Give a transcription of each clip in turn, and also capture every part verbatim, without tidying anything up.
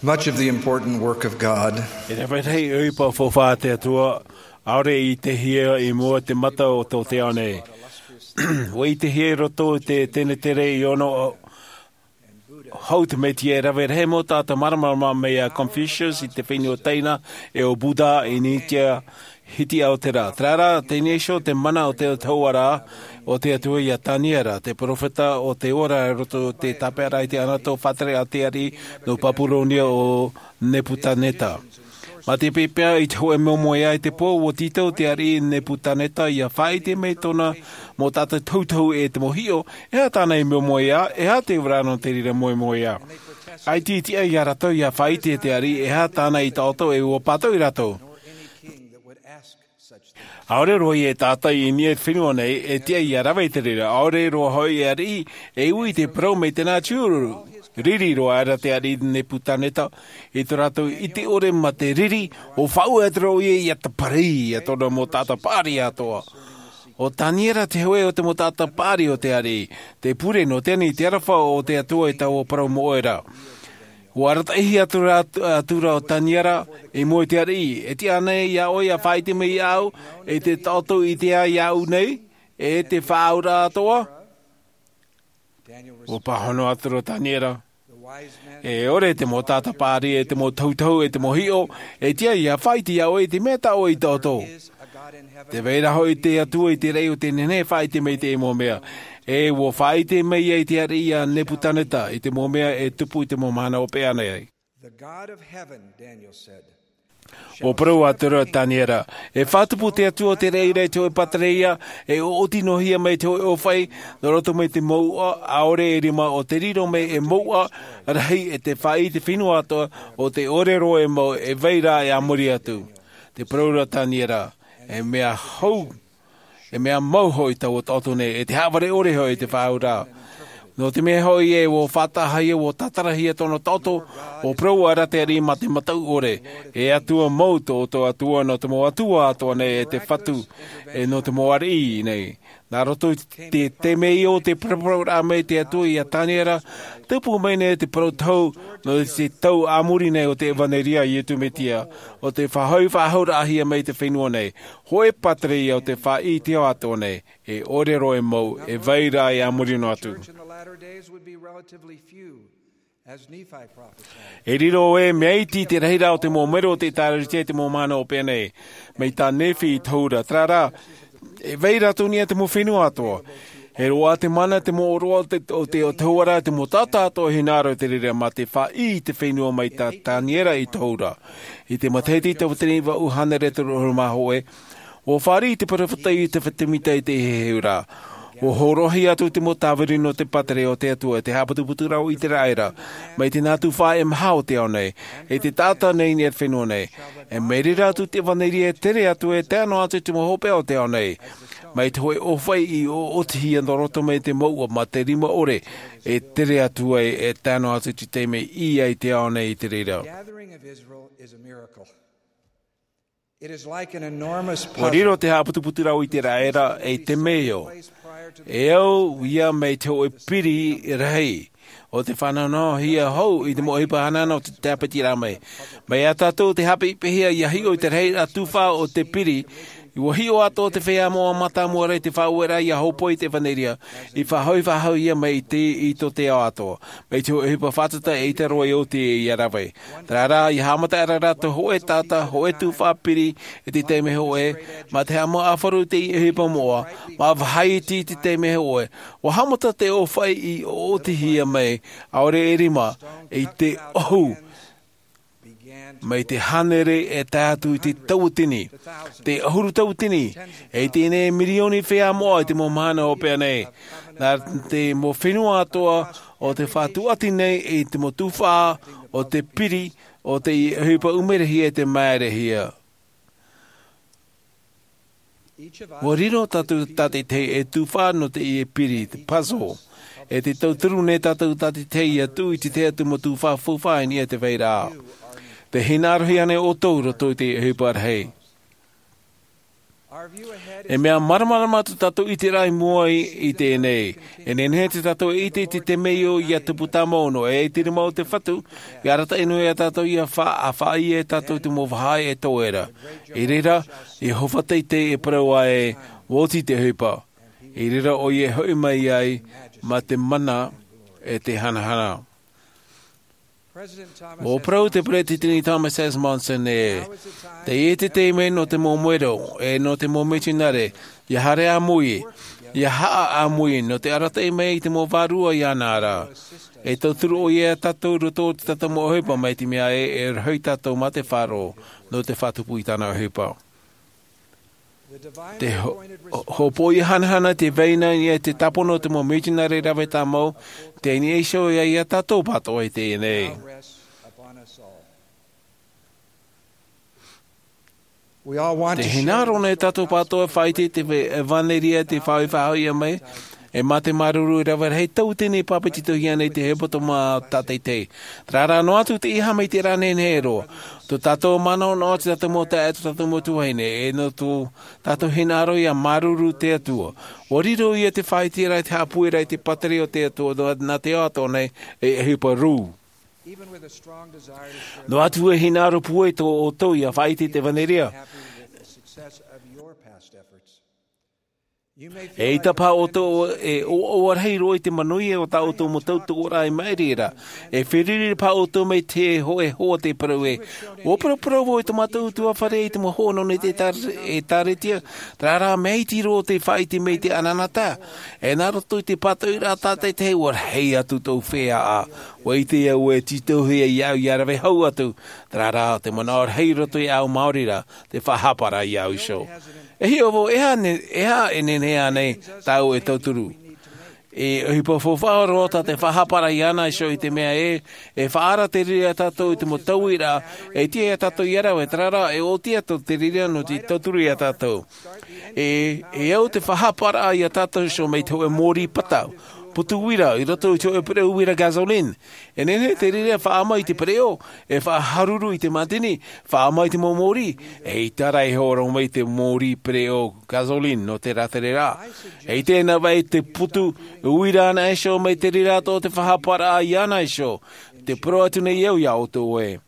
Much of the important work of God. E rave rahi ʻohipa faufaʻa a te Atua, ʻaore i ʻitehia i mua te mata o tō te ao nei. ʻUa ʻitehia i roto i te tenetere i ono hou te Mesia, e rave rahi mau taʻata māramarama mai iā Confucius i te fenua Taina, e ʻo Buddha i India, hiti au te rā. Terā rā, teie nei iho te mana o te Atua ra, o te Atua iā Taniera, te perofeta o te ora i roto i te tāpeʻaraʻa i te anato faʻatere a te ariʻi nō Papuronia ʻo Nepukaneta. Mā te pēpē i te hōʻē moemoeā i te pō, ʻua tītau te ariʻi Nepukaneta ʻia faʻaʻite mai tōna mau taʻata tohutohu e te mau hiʻo, e aha tāna i moemoeā, e aha te ora nō te reira moemoeā. ʻAita i tiʻa iā rātou ʻia faʻaʻite te ariʻi, e aha tāna i taʻoto, e ʻua pātoʻi rātou. ʻAore roa ia e tātaʻi i niʻa i te fenua nei, e tiʻa ʻia rave i te reira, ʻaore roa hoʻi e ariʻi, e ui i te parau mai tēnā tiuru. Riri roa aʻera te ariʻi Nepukaneta, i tō rātou ʻite ʻore mā te riri, ʻua faʻaue atu ra ʻoia ʻia tāpiri, ʻia tōna mau taʻata paʻari atoʻa. ʻO Taniera te hōʻē o te mau taʻata paʻari o te ariʻi, te pure nō teie nei te aroha o te Atua i taua parau moʻe ra. ʻUa arataʻihia atu ra, atu ra ʻo Taniera, i mua i te ariʻi, e tiʻa ānei iā ʻoe ʻia faʻaʻite mai iāʻu, e te taʻoto i te ʻā iāʻu nei, e te faʻaauraʻa atoʻa? ʻUa pāhono atu ra ʻo Taniera. E ʻore te mau taʻata paʻari, e te mau tohutohu, e te mau hiʻo, e tiʻa ʻia faʻaʻite iā ʻoe i te mea tā ʻoe i taʻoto. Tē vai ra hoʻi te Atua i te raʻi o tē nehenehe e faʻaʻite mai i teie mau mea. E ʻua faʻaʻite mai ai te ariʻi iā Nepukaneta i te mau mea e tupu i te mau mahana hopeʻa nei. The God of heaven, Daniel said, ʻUa parau atu ra ʻo Taniera, e faʻatupu te Atua o te reira i te hōʻē pātireia, e ʻoʻoti noa hia mai te hōʻē ʻōfaʻi, nō roto mai te mouʻa, ʻaore e rima ʻo te riro mai e mouʻa rahi e te faʻaʻī i te fenua atoʻa, ʻo tē ʻore roa e mau, e vai ra e a muri atu. Tē parau ra ʻo Taniera, e mea hou, e mea mau hoʻi taua taʻoto nei, e te haʻavare ʻore hoʻi te faʻaauraʻa. Nō te mea hoʻi ē, ʻua faʻataʻahia, ʻua tātarahia tōna taʻoto, ʻua parau aʻera te ariʻi mā te mataʻu ʻore, e Atua mau tō ʻoutou Atua nō te mau atua atoʻa nei, e te Fatu, e nō te mau ariʻi nei. Nā roto i te, te mea ïa o te paraparauraʻa mai te Atua iā Taniera, tupu mai nei te parau tohu, nō te tau a muri nei o te ʻevaneria a Iesu Mesia, ʻo tē faʻahoʻi faʻahou-raʻa-hia mai i te fenua nei, hōʻē pātireia o te faʻaʻī i te ao atoʻa nei, e ʻore roa e mau, e vai ra e a muri noa atu. Church in the latter days would be relatively few, as Nephi prophesied. E riro ē, mea iti te rahiraʻa o te mau mero o te ʻĒtārētia i te mau mahana hopeʻa nei, mai tā Nephi i tohu ra, terā rā, e vai ra atoʻa i niʻa i te mau fenua atoʻa. E roaʻa te mana, te mau ʻōroʻa o te, o te, o te tohu ra, te mau taʻata atoʻa e hinaʻaro i te reira mā te faʻaʻī i te fenua mai tā Taniera i tohu ra. I te matahiti tauatini vaʻu hānere toru ʻahuru mā hōʻē, ʻua fāriʻi te peropheta Iosepha Semita i te heheu ra. ʻUa hōroʻahia atu te mau tāvini nō te pātireia o te Atua, e te haʻaputuputuraʻa o ʻĪteraʻera, mai te nā tuhaʻa e maha o te ao nei, e te taʻata nei i niʻa i te fenua nei. E mai reira atu te ʻevaneria e tere atu, e tae noa atu i te mau hopeʻa o te ao nei. Mai te hōʻē ʻōfaʻi i ʻoʻotihia nō roto mai te mouʻa mā te rima ʻore, e tere atu ai, e tae noa atu i te taime i ʻī ai te ao nei i te reira. Gathering of Israel is a miracle. It is like an enormous puzzle. ʻUa riro te haʻaputuputuraʻa o ʻĪteraʻera ei temeio. E au ïa mai te hōʻē piri rahi, ʻo tē fānauhia hou i te mau ʻohipa hanahana o te tāpetiraʻa mai. Mai iā tātou te haʻapeʻapeʻahia ʻia hiʻo i te rahiraʻa tufaʻa o te piri, ʻua hiʻo atoʻa te feiā moʻa mātāmua ra i te faʻaueraʻa ʻia hōpoi i te ʻevaneria, i faʻahoʻi faʻahou ïa mai i te, i tō te ao atoʻa. Mai te hōʻē ʻohipa fātata e ʻaita roa e oti ʻia rave. Terā rā, ʻia haʻamata aʻera rātou hōʻē taʻata, hōʻē tufaʻa piri, i te taime hōʻē, mā te haʻamāuruuru i te ʻohipa moʻa, mā vāhi iti i te taime hōʻē. ʻUa haʻamata te ʻōfaʻi i ʻoʻotihia mai, ʻaore e rima, i te ʻohu. Mai te hānere e tae atu i te tauatini, te ʻahuru tauatini, e teie nei e mirioni feiā moʻa i te mau mahana hopeʻa nei. Nā te mau fenua atoʻa, ʻo tē faʻatuati nei i te mau tufaʻa o te piri, ʻo te ʻohipa ʻumerehia e te māerehia. ʻUa riro tātou tātaʻitahi ei tufaʻa nō teie piri, te puzzle. E te tauturu nei tātou tātaʻitahi ʻia tuʻu i te tahi atu mau tufaʻa faufaʻa i niʻa i te vairaʻa. Tē hinaʻarohia nei ʻoutou i roto i te ʻohipa rahi. E mea māramarama tō tātou ʻiteraʻa i mua i teie nei. E nehenehe tō tātou e ʻite i te temeio ia tupu tāmau noa e te rima o te fatu, ia arataʻi noa ia tātou ia faʻaʻite e tātou te mau vāhi e tō era. I reira, i hōhonu teitei e parau ai, oti te ʻohipa. I reira ʻoia e hoʻi mai ai mā te mana e te hanahana. Ua parau te peresideni thomas s monson e, teie te taime nō te momoero e nō te mau mitionare, ia haere ʻāmui, ia haʻa ʻāmui nō te arataʻi mai i te mau vārua i ana ara. E tauturu ʻoia ia tātou roto o te tātou mau ʻohipa mai te mea e e rahi tātou mā te faʻaroʻo nō te faʻatupu i tāna ʻohipa. Te hōpoʻi hanahana te vaina ia te tāpono o te mau mitionare rave tāmau, te ʻini iho ia ia tātou pātoʻa i teie nei. Te hinaʻaro nei tātou pātoʻa e faʻaʻite i te ʻevanelia te faʻaʻite faʻahoʻi mai, e mā te māuruuru rave rahi tau tēnei pāpetitohia nei te hepetoma tātaitahi. Terā rā noa atu te iha mai te rā nei nei roa, tō tātou manaʻo noa te tātou mau taeaʻe tō tātou mau tuahine e nō tō tātou hinaʻaro ia māuruuru te atua. Ua riro ia te faʻaʻite rā i te haʻapueraʻa i te pātireia o te atua nā te ao atoʻa nei, e ʻohipa rū. Noa atu e hinaʻaro pūai tō ʻoutou ia faʻaʻite i te ʻevanelia. E ʻita paha ʻoutou e ʻoaʻoa rahi roa i te manuia o tā ʻoutou mau tautoʻoraʻa i maʻiri ra. E feruri paha ʻoutou mai te hōʻē hoa te parau e, ua paraparau vau i tō mātou utuafare i te mau hoa nō nei te ʻēkālesia. Terā rā mea iti roa te faʻaʻite mai i te ʻanaʻanatae, e nā roto i te pātoʻiraʻa tātaitahi ua rahi atu tōʻu feiā. Ua ʻite au e tītauhia iāʻu ia rave hau atu. Terā rā te manaʻo rahi roto iāʻu maori rā, te faʻahapa rā iāʻu iho. E hiʻo vau e aha e nehenehe ānei tāʻu e tauturu? E ʻohipa faufaʻa roa tā te faʻahapa rā iāna iho i te mea e e faʻaara te riri ia tātou i te mau tauiraʻa e tiʻa ia tātou ia rave, terā rā e ʻoti atu te riri nō te tauturu ia tātou. E e au te faʻahapa rā ia tātou iho mai te hōʻē mōrī pata, putu uira i roto i te hōʻē pereʻo uira gasoline. E nehenehe te riri faʻaʻama i te pereʻo, e faʻaharuru i te mātini, faʻaʻama i te mau mōrī, e ʻita rā e horo mai te mōrī pereʻo gasoline nō te rātere rā. E ʻite nā vai te putu uira ana iho mai te riri atoʻa te faʻahapa rā iāna iho. Te parau atu nei au ia ʻoutou e,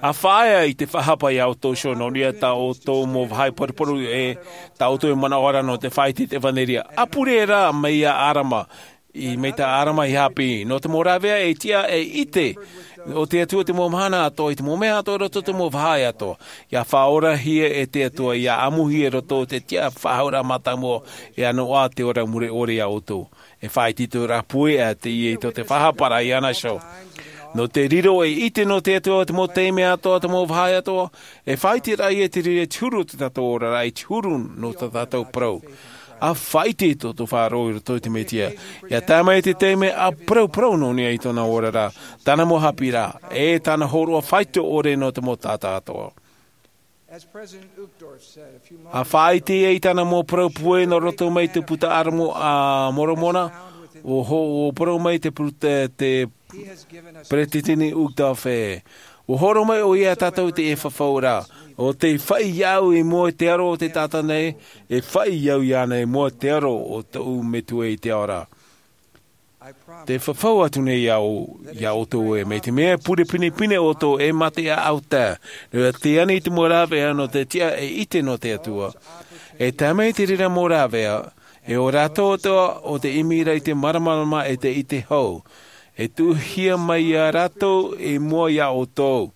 a faʻaea i te faʻahapa ia ʻoutou iho nō reira tā ʻoutou mau vāhi paruparu e tā ʻoutou e manaʻo ra nō te faʻaʻite i te ʻevanelia. A pure rā mai ia ʻarama, i mai tā ʻarama i haʻapiʻi nō te mau rāveʻa e tiʻa e ʻite o te atua te mau mahana atoʻa i te mau mea atoʻa roto te mau vāhi atoʻa. Ia faʻaorahia e te atua ia ʻamuhia roto o te tiʻa faʻahauraʻa mātāmua e ʻanoʻa te ora mure ʻore ia ʻoutou. E faʻaʻite i tō rā pūai a teie i tō te faʻahapa rā iāna iho. Nō te riro e ʻite nō te atua te mau taime atoʻa te mau vāhi atoʻa, e faʻaʻite rā ia te riri te huru o te tātou oraraʻa i te huru nō tā tātou parau. A faʻaʻite i tō tō faʻaroʻo i roto i te mesia, ia tae mai te taime a parauparau nō niʻa i tōna oraraʻa, tāna mau haʻapiʻiraʻa e tāna hōroʻa faito ʻore nō te mau taʻata atoʻa. A faʻaʻite ia i tāna mau parau pūai nō roto mai te puta ʻāramu a moromona, ua parau mai te peresideni uchtdorf e, ua horo mai ʻoia ia tātou i te ʻefafauraʻa o te faʻi iāʻu i mua i te aro o te taʻata nei, e faʻi au iāna i mua i te aro o tōʻu metua i te ao ra. Te fafau atu nei au ia ʻoutou e mai te mea pure pinepine ʻoutou e mā te ʻaʻau tae, nō te ani i te mau rāveʻa nō te tiʻa e ʻite nō te atua. E tae mai te reira mau rāveʻa, e ʻo rātou atoʻa o te ʻimi ra i te māramarama e te ʻite hou, e tuʻuhia mai ia rātou i mua ia ʻoutou.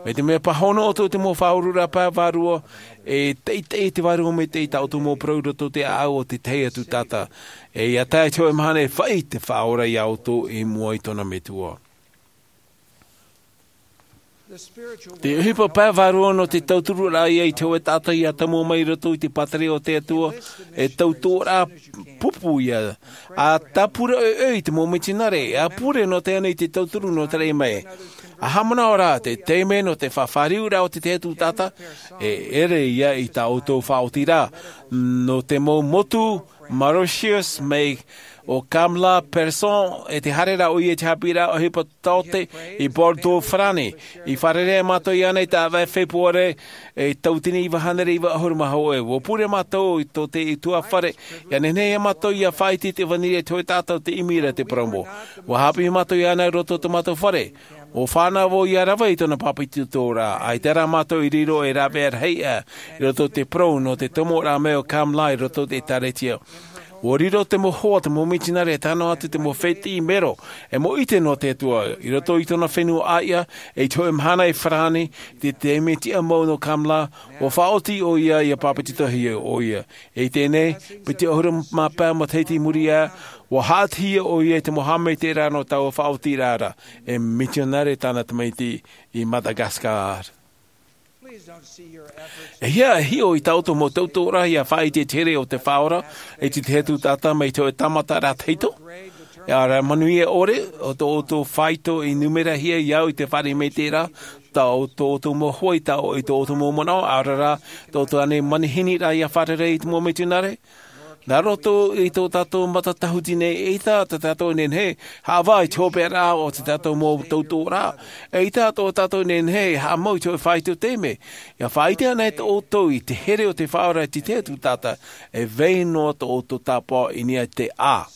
Mai te mea pāhono ʻoutou te mau faʻaururaʻa pae vārua, e teitei te vārua mai te i tā ʻoutou mau parau roto te ʻaʻau o te tahi atu taʻata. E ia tae te hōʻē mahana e faʻi te faʻaora ia ʻoutou i mua i tōna metua. Te ʻohipa pae vārua nō te tauturu rā ia i te hōʻē taʻata ia tamu mai roto i te pātireia o te atua, e tauturu rā pupu ia. A tāpura ʻoe i te mau mitionare a pure nō te ani i te tauturu nō te rei mai. A haʻamanaʻo rā te taime nō te faʻafāriu rā o te tahi atu taʻata, e ʻere ia i tā ʻoutou faʻaoti rā nō te mau motu mauritius mai ʻo Kamala Pearson, e te haere ra ʻoia i te haʻapiʻiraʻa ʻohipa taote i Bordeaux, Farāni. I fārerei mātou iāna i te ʻāvaʻe Fepuare, e tauatini iva hānere iva ʻahuru mā hōʻē. ʻUa pure mātou i tō te ʻutuāfare, ʻia nehenehe mātou ʻia faʻaʻite i te ʻevanelia i te hōʻē taʻata ʻo tē ʻimi ra i te parau mau. ʻUa haʻapiʻi mātou iāna i roto i tō mātou fare. ʻUa fānaʻo vau ʻia rave i tōna pāpetitoraʻa, ʻaita rā mātou i riro ei rāveʻa rahi aʻe i roto i te parau nō te tomoraʻa mai o Kamala i roto i te ʻĒkālesia. ʻUa riro te mau hoa, te mau mitionare, e tae noa atu te mau fētiʻi mero, e mau ʻite nō te Atua, i roto i tōna fenua ʻāiʻa, e i te hōʻē mahana i Farāni, i te taime tiʻa mau nō Kamala, ʻua faʻaoti ʻoia ʻia pāpetitohia ʻoia. E i teie nei, piti ʻahuru mā pae matahiti i muri aʻe, ʻua haʻatihia ʻoia i te mau haʻamaitaʻiraʻa nō taua faʻaotiraʻa ra, e mitionare tāna tamaiti i Madagascar. E hia e hiʻo i tā ʻoutou mau tautoʻoraʻa ʻia faʻaʻite i te here o te Faʻaora, e te Tahi Atu Taʻata mai te hōʻē tāmata ra tahito? E ara manuia ʻore, ʻo tō ʻoutou faito i numerahia i au i te fare maitaʻi ra, tā ʻo tō ʻoutou mau hoa i tā ʻo, i tō ʻoutou mau manaʻo, ʻaore rā, tō ʻoutou ānei manihini ra ʻia fārerei i te mau mitionare? Nā roto i tō tātou matatahuti nei, eʻita tā tātou e nehenehe e haʻavā i te hopeʻaraʻa o tā tātou mau tautoʻoraʻa. Eʻita tā tātou e nehenehe e haʻamau i te hōʻē faito taime. ʻIa faʻaʻite anaʻe ʻoutou i te here o te Faʻaora, i te Tahi Atu Taʻata, e vai noa tō ʻoutou tāpaʻo i niʻa i te A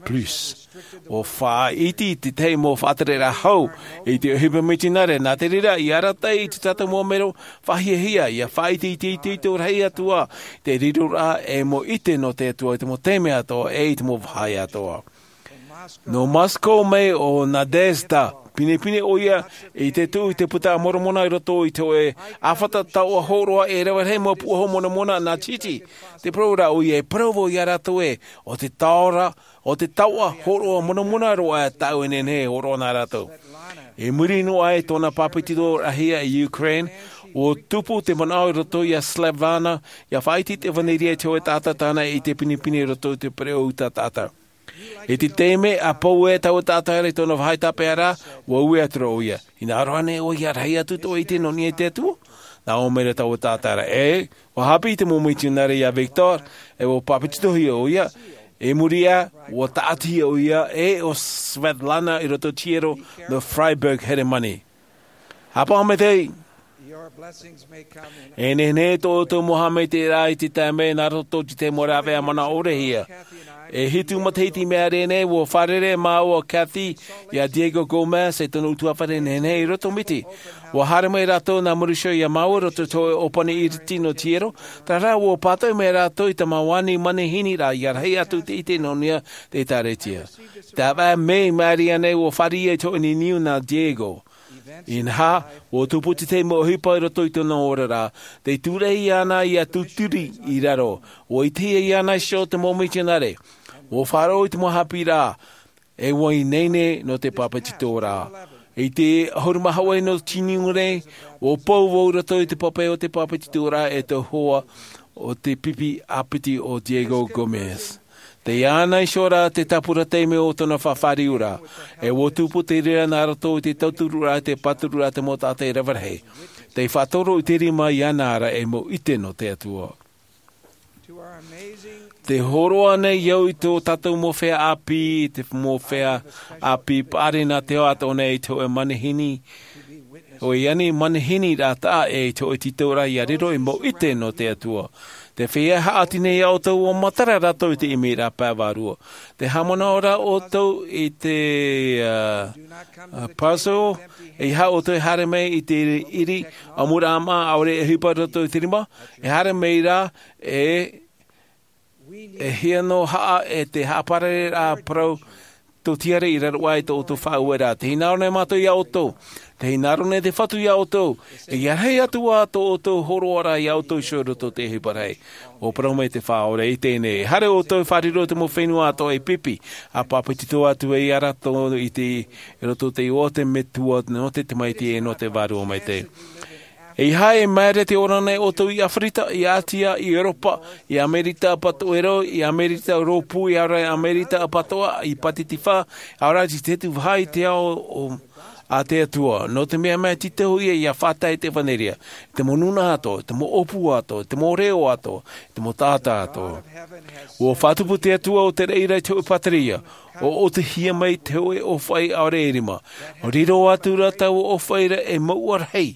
plus. ʻUa faʻaʻite i te tahi mau faʻatereraʻa hau i te ʻohipa mitionare, nā te reira, ʻia arataʻi i tā tātou mau mero faʻahiahia, ʻia faʻaʻite i te itoito rahi atoʻa, te riroraʻa e mau ʻite nō te Atua i te mau taime atoʻa, e i te mau vāhi atoʻa. Nō Moscow mai ʻo Nadezhda, pinepine ʻoia i te tuʻu i te Puta a Moromona i roto i te hōʻē ʻāfata taoʻa hōroʻa e rave rahi mau puahu monamona nā Titi. Tē parau ra ʻoia, e parau vau ia rātou ē, ʻo te taoʻa, ʻo te taoʻa hōroʻa monamona roa tāʻu e nehenehe e hōroʻa nā rātou. I muri noa i tōna pāpetitoraʻahia i Ukraine, ʻua tupu te manaʻo i roto ia Svetlana, ʻia faʻaʻite i te ʻevanelia i te hōʻē taʻata tāna e ʻite pinepine i roto i te pereʻoʻo taʻata. I te taime ʻa pau ai taua taʻata ra i tōna vāhi tāpeʻa ra, ʻua ui atu ra ʻoia. Hinaʻaro ānei ʻoe ʻia rahi atu tō ʻoe ʻite nō niʻa i te Atua? Nā ʻō mai ra taua taʻata ra, ʻē, ʻua haʻapiʻi te mau mitionare ia Viktor, e ʻua pāpetitohia ʻoia. I muri aʻe, ʻua tāʻatihia ʻoia, ʻē, ʻo Svetlana i roto i te hiero nō Freiberg, Heremani. Haʻapaʻo maitaʻi. E nehenehe tō ʻoutou mau haʻamaitaʻiraʻa i te taime nā roto i te mau rāveʻa manaʻo ʻore hia. E hitu matahiti i maʻiri aʻe nei, ʻua fārerei māua ʻo Kathy ia Diego Gomez, e tōna ʻutuāfare, e nehenehe i roto i te miti. ʻUa haere mai rātou nā Mauricio ia māua i roto i te hōʻē ʻōpani iriti nō te hiero, terā rā ʻua pātoʻi mai rātou i te mau ani manihini ra ʻia rahi atu i te ʻite nō niʻa i te ʻĒkālesia. Te ʻāvaʻe mē i maʻiri aʻe nei ʻua fāriʻi i te hōʻē niuniu nā Diego. Inaha, ʻua tupu te tahi mau ʻohipa i roto i tōna oraraʻa, tei tūraʻi iāna ʻia tūturi i raro, ʻua ʻitehia iāna iho te mau mitionare, ʻua faʻaroʻo i te mau haʻapiʻiraʻa, e ʻua ineine nō te pāpetitoraʻa. I te ʻahuru mā hōʻē nō Tiuneraʻa, ʻua pou vau i roto i te pape o te pāpetitoraʻa e te hoa o te pipi ʻāpiti ʻo Diego Gomez. Tei iāna iho rā te tāpura taime o tōna faʻafāriuraʻa, e ʻua tupu te reira nā roto i te tauturuʻraʻa, te pāturuʻraʻa, te mau taʻata e rave rahi. Tei faʻatoro i te rima iāna ra e mau ʻite nō te Atua. Tē hōroʻa nei au i tō tātou mau feiā ʻāpī, te mau feiā ʻāpī paʻari nā te ao atoʻa nei i te hōʻē manihini, hōʻē ani manihini ra taʻa ʻē i te hōʻē tītauraʻa ʻia riro ei mau ʻite nō te Atua. Te feiā haʻati nei iā ʻoutou, ʻua matara rātou i te ʻimiraʻa pae vārua. Tē haʻamanaʻo ra ʻoutou i te, ā, ā, puzzle, ʻeiaha ʻoutou e haere mai i te ʻiri, ʻamuraʻa māʻa, ʻaore e ʻohipa i roto i te rima, e haere mai ra, e, e hia nō haʻa, e te haʻaparare ra parau, tōtiare i raro aʻe i tō ʻoutou faʻaueraʻa. Tē hinaʻaro nei mātou iā ʻoutou. Tē hinaʻaro nei te Fatu iā ʻoutou. E ʻia rahi atu ā tō ʻoutou hōroʻaraʻa iā ʻoutou iho i roto i te ʻohipa rahi. ʻUa parau mai te Faʻaora i teie nei. E haere ʻoutou e fārerei i te mau fenua atoʻa e pipi. ʻA pāpetito atu ai iā rātou i te, i roto i te iʻoa o te Metua, nō te Tamaiti e nō te Vārua Maitaʻi. ʻEiaha e maere te ora nei ʻoutou i ʻĀfirika, i ʻĀtia, i ʻEuropa, i Amerika Apatoʻero, i Amerika Rōpū, ʻaore rā i Amerika Apatoʻa, i Pātitifā, ʻaore rā i te hitu vāhi i te ao o, A te Atua, nō te mea mai te tau ia ia fātai te evanelia, te mau nūnaʻa atoʻa, te mau ʻōpū atoʻa, te mau reo atoʻa, te mau taʻata atoʻa. Ua faʻatupu te Atua o te reira i te hoʻi pāteria, o ʻōtihia mai te hoʻi ʻōfaʻi ʻaore e rima. O riro atu ra taua ʻōfaʻi ra e mau ʻarahi,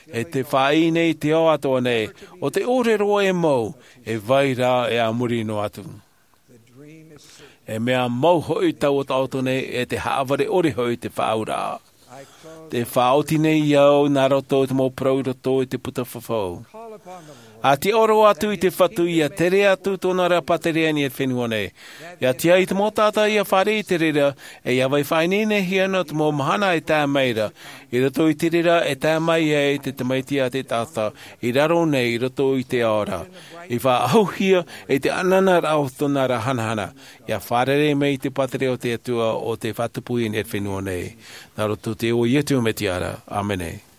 e te faʻaʻī nei te ao atoʻa nei, o te ʻōrero e mau, e vai rā e a muri noa atu. E mea mau hoʻi taua taʻoto nei e te haʻavare ʻore hoʻi te faʻaauraʻa. Te faʻaoti nei au nā roto i te mau parau i roto i te puta fafau. A te ʻōrero atu i te Fatu ia tere atu tōna ra pāteria i te fenua nei. Ia tia i te mau taʻata ia fāriʻi i te reira, e ia vai faʻaineinehia nō te mau mahana e tae mai ra. I roto i te reira e tae mai ai te Tamaiti a te Taʻata, i raro nei i roto i te ao ra. I faʻaʻahuhia e te ʻanana rā o tōna ra hanahana. Ia fārerei mai te pāteria o te Atua o te faʻatupu i te fenua nei. Nā roto i te iʻoa o Iesu Mesia ra. ʻĀmene.